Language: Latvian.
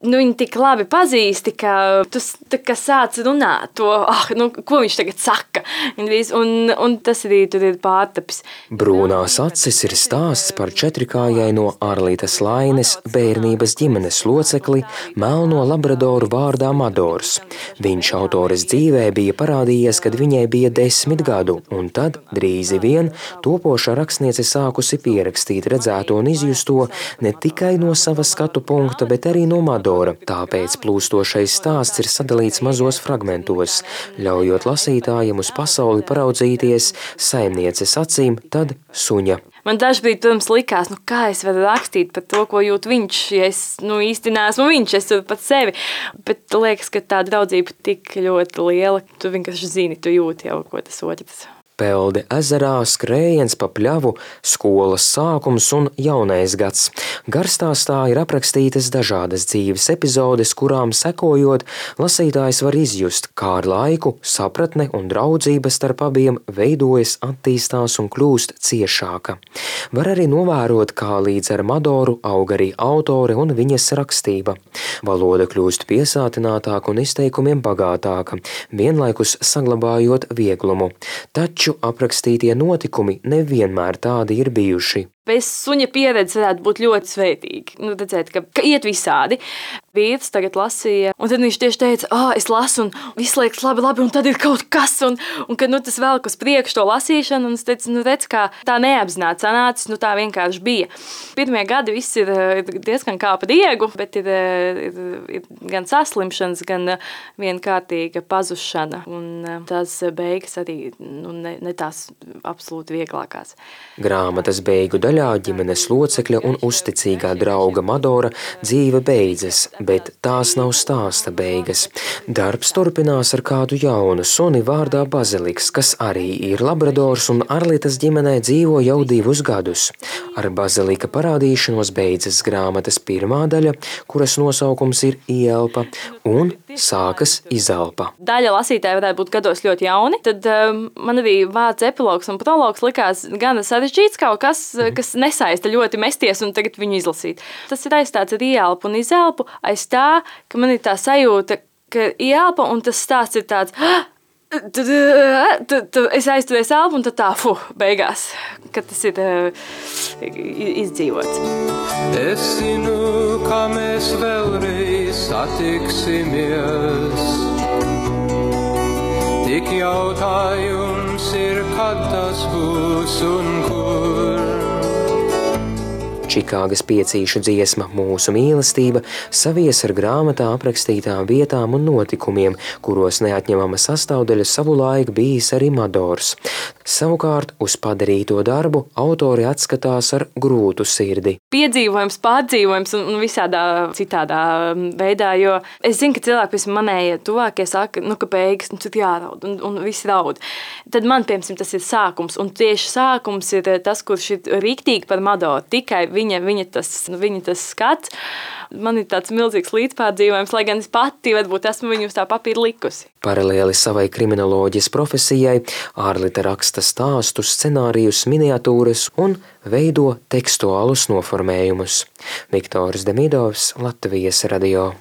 Viņi tik labi pazīsti, ka tu sāc runāt to, ko viņš tagad saka. Un tas arī tur ir pārtapis. Brūnās acis ir stāsts par četrikājai no Arlītes Laines bērnības ģimenes locekli melno labradoru vārdā Madors. Viņš autores dzīvē bija parādījies, kad viņai bija 10 gadu, un tad drīzi vien topošā rakstniece sākusi pierakstīt redzēto un izjusto ne tikai no sava skatu punkta, bet arī no Madora. Tāpēc plūstošais stāsts ir sadalīts mazos fragmentos, ļaujot lasītājiem uz pasauli paraudzīties saimnieces acīm, tad suņa. Man dažbrīd, protams, likās, kā es varu rakstīt par to, ko jūt viņš, ja es īsti neesmu viņš, es varu pat sevi. Bet liekas, ka tā draudzība tik ļoti liela, tu vienkārši zini, tu jūti jau, ko tas otrs. Pelde ezerā, skrējiens pa pļavu, skolas sākums un jaunais gads. Garstāstā ir aprakstītas dažādas dzīves epizodes, kurām sekojot, lasītājs var izjust, kā ar laiku sapratne un draudzība starp abiem veidojas, attīstās un kļūst ciešāka. Var arī novērot, kā līdz ar Madoru aug arī autore un viņas rakstība. Valoda kļūst piesātinātāka un izteikumiem bagātāka, vienlaikus saglabājot vieglumu. Taču aprakstītie notikumi nevienmēr tādi ir bijuši. Bez suņa pieredze varētu būt ļoti svētīgi. Redzēt, ka iet visādi. Vīrs tagad lasīja, un tad viņš tieši teica, es lasu, un viss liekas labi, un tad ir kaut kas, un kad tas velk uz priekšu to lasīšanu, un es teicu, redz, kā tā neapzināti sanācis, tā vienkārši bija. Pirmie gadi viss ir diezgan kā pa diegu, bet ir gan saslimšanas, gan vienkārtīga pazušana, un tās beigas arī ne tās absolūti vieglākās. Grāmatas beigu daļā ģimenes locekļa un uzticīgā drauga Madora dzīve beidzas, bet tās nav stāsta beigas. Darbs turpinās ar kādu jaunu suni vārdā Baziliks, kas arī ir labradors un Arlītes ģimenē dzīvo jau 2 gadus. Ar Bazilika parādīšanos beidzas grāmatas pirmā daļa, kuras nosaukums ir Ielpa, un sākas Izelpa. Daļa lasītāji varētu būt gados ļoti jauni, tad man arī vārds epilogs un prologs likās gan sarežģīts kaut kas nesaista ļoti mesties un tagad viņu izlasīt. Tas ir aizstāts ar Ielpu un Izelpu, aiz tā, ka man ir tā sajūta, ka Ielpa un tas stāsts ir tāds, es aizturies elpu un tad tā, beigās, kad tas ir izdzīvots. Es zinu, ka mēs vēlreiz satiksimies. Tik jautājums ir, kad tas būs un kur. Čikāgas piecīšu dziesma Mūsu mīlestība savies ar grāmatā aprakstītām vietām un notikumiem, kuros neatņemama sastāvdaļa savulaik bijis arī Madors. Savukārt uz padarīto darbu autori atskatās ar grūtu sirdi. Piedzīvojums, pārdzīvojums un visādā citādā veidā, jo es zinu, ka cilvēki pēc manējie tuvākie saka, ka beigas, tad jāraud un visi raud. Tad man, piemēram, tas ir sākums, un tieši sākums ir tas, kurš ir rīktīgi par Madoru, tikai viņa tas skats. Man ir tāds milzīgs līdzpārdzīvojums, lai gan es pati varbūt esmu viņu uz tā papīra likusi. Paralēli savai kriminoloģijas profesijai Arlīte raksta stāstus, scenārijus, miniatūras un veido tekstuālus noformējumus. Viktors Demidovs, Latvijas radio.